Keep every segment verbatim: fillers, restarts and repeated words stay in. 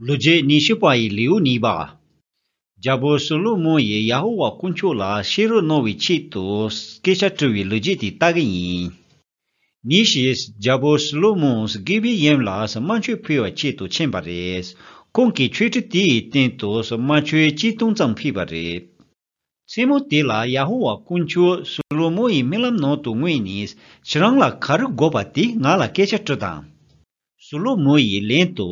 ལོ་རྒྱུས་ཉི་ཤུ་པ་ཡི་ལེའུ་གཉིས་པ། རྒྱལ་པོ་སོ་ལོ་མོ་ཡིས་ཡ་ཧོ་ཝཱ་དཀོན་མཆོག་ལ་ཤེས་རབ་གནང་བའི་ཆེད་དུ་སྐད་ཆ་དྲི་བའི་ལོ་རྒྱུས་དེ་ལྟ་གི་ཡིན། ཉིན་ཞིག་རྒྱལ་པོ་སོ་ལོ་མོས་གི་བི་ཡེམ་ལ་དམར་མཆོད་ཕུལ་བའི་ཆེད་དུ་ཕྱིན་པ་རེད། ཁོང་གིས་མཆོད་ཁྲི་དེའི་སྟེང་དུ་དམར་མཆོད་ཆིག་སྟོང་ཙམ་ཕུལ་བ་རེད། མཚན་མོ་དེ་ལ་ཡ་ཧོ་ཝཱ་དཀོན་མཆོག་སོ་ལོ་མོ་ཡི་རྨི་ལམ་ནང་དུ་མངོན་ནས། ཁྱེད་རང་ལ་ག་རེ་དགོས་པ་དེ་ང་ལ་སྐད་ཆ་དྲིས་དང་། སོ་ལོ་མོ་ཡིས་ལན་དུ།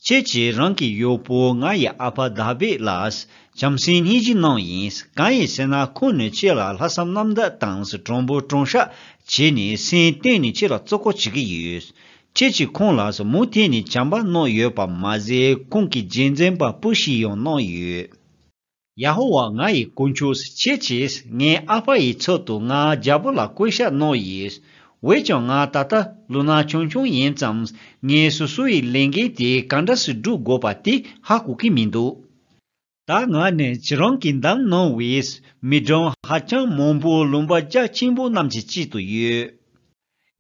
ཁྱེད་ཀྱིས་རང་གི་གཡོག་པོ་ང་ཡི་ཨ་ཕ་དཱ་བིད་ལ་བྱམས་སེམས་སྙིང་རྗེ་གནང་ཡིན། གང་ཡིན་ཟེར་ན། ཁོང་ནི་ཁྱེད་ལ་ལྷག་བསམ་རྣམ་དག་དང་དྲང་པོ་དྲང་བཞག་བྱས་ནས་སེམས་གཏིང་ནས་ཁྱེད་ལ་བརྩི་བཀུར་བྱེད་ཀྱི་ཡོད། ཁྱེད་ཀྱིས་ཁོང་ལ་མུ་མཐུད་ནས་བྱམས་པ་གནང་ཡོད་པ་མ་ཟད། ཁོང་གི་རྗེས་འཛིན་པ་སྤུ་ཞིག་ཡང་གནང་ཡོད། ཡ་ཧོ་ཝཱ་ང་ཡི་དཀོན་མཆོག་ཁྱེད་ཀྱིས་ངའི་ཨ་ཕ་ཡི་ཚབ་ཏུ་ང་རྒྱལ་པོ་ལ་བསྐོ་བཞག་གནང་ཡིན། འོན་ཀྱང་ང་ད་ལྟ་ལོ་ན་ཆུང་ཆུང་ཡིན་ཙང་། ངས་སོ་སོ་ཡི་ལས་འགན་དེ་ག་འདྲ་སེ་སྒྲུབ་དགོས་པ་དེ་ཧ་གོ་གི་མི་འདུག་ད་ང་ནི་ཁྱེད་རང་གིས་བདམས་གནང་བའི་མི་གྲངས་ཧ་ཅང་མང་པོ་ལུང་པ་རྒྱ་ཆེན་པོ་རྣམས་ཀྱི་དཀྱིལ་དུ་ཡོད།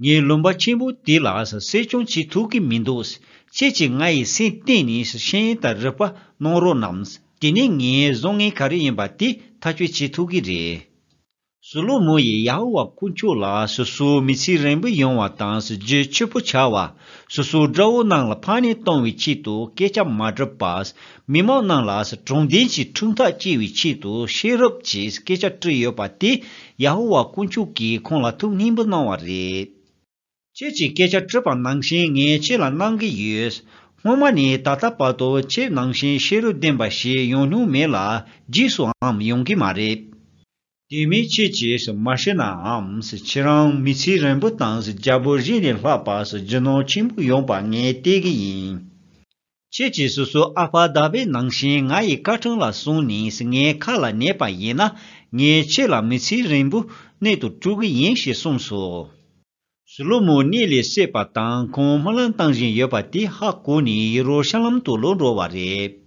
ངས་ལུང་པ་ཆེན་པོ་དེ་ལ་གསོ་སྐྱོང་བྱེད་ཐུབ་ཀྱི་མི་འདུག་ཁྱེད་ཀྱིས་ང་ཡི་སེམས་གཏིང་ནས་ཤེས་ཡོན་དང་རིག་པ་གནང་རོགས་གནང་། དེ་ནས་ངའི་བཟང་ངན་ག་རེ་ཡིན་པ་དེ་ཐག་གཅོད་བྱེད་ཐུབ་ཀྱི་རེད། སོ་ལོ་མོ་ཡིས་ཡ་ཧོ་ཝཱ་དཀོན་མཆོག་ལ་སོ་སོའི་མི་ཚེ་རིང་པོ་ཡོང་བ་དང་། རྒྱུ་ཕྱུག་པོ་ཆགས་པ། སོ་སོའི་དགྲ་བོ་རྣམས་ལ་ཕམ་ཉེས་གཏོང་བའི་ཆེད་དུ་སྐད་ཆ་མ་དྲིས་པར། མི་མང་རྣམས་ལ་དྲང་བདེན་གྱི་ཁྲིམས་ཐག་བཅད་པའི་ཆེད་དུ་ཤེས་རབ་ཀྱི་སྐད་ཆ་དྲིས་ཡོད་པ་དེ། ཡ་ཧོ་ཝཱ་དཀོན་མཆོག་གིས་ཁོང་ལ་ཐུགས་མཉེས་པོ་གནང་བ་རེད། ཁྱེད་ཀྱིས་སྐད་ཆ་དྲིས་པ་ནང་བཞིན་ངས་ཁྱེད་ལ་གནང་གི་ཡོད། སྔོན་མ་ནས་ད་ལྟ་བར་དུ་ཁྱེད་ནང་བཞིན་ཤེས་རབ་ལྡན་པ་ཞིག་ཡོང་མྱོང་མེད་ལ། རྗེས་སུའང་ཡོང་གི་མ་རེད། དེ་མིན་ཁྱེད་ཀྱིས་མ་ཤི་ནའང་། ཁྱེད་རང་མི་ཚེ་རིང་པོ་དང་རྒྱལ་པོ་གཞན་ལས་ལྷག་པ་རྒྱུ་ནོར་ཆེན་པོ་ཡོང་པ་ངས་བལྟས་ཀྱི་ཡིན། ཁྱེད་ཀྱིས་སོ་སོའི་ཨ་ཕ་དཱ་བིད་ནང་བཞིན་ང་ཡི་བཀའ་དྲིན་ལ་བསམས་ནས་ངའི་ཁ་ལ་ཉན་པ་ཡིན་ན། ངས་ཁྱེད་ལ་མི་ཚེ་རིང་པོ་གནས་སུ་བཀྲོལ་གྱི་ཡིན་ཞེས་གསུངས་སོ། སོ་ལོ་མོ་གཉིད་ལས་སད་པ་དང་ཁོང་སྨོན་ལམ་བཏང་བཞིན་ཡོད་པ་དེ་ཧ་གོ་ནས་ཡེ་རུ་ཤ་ལམ་དུ་ལོག་འགྲོ་བ་རེད།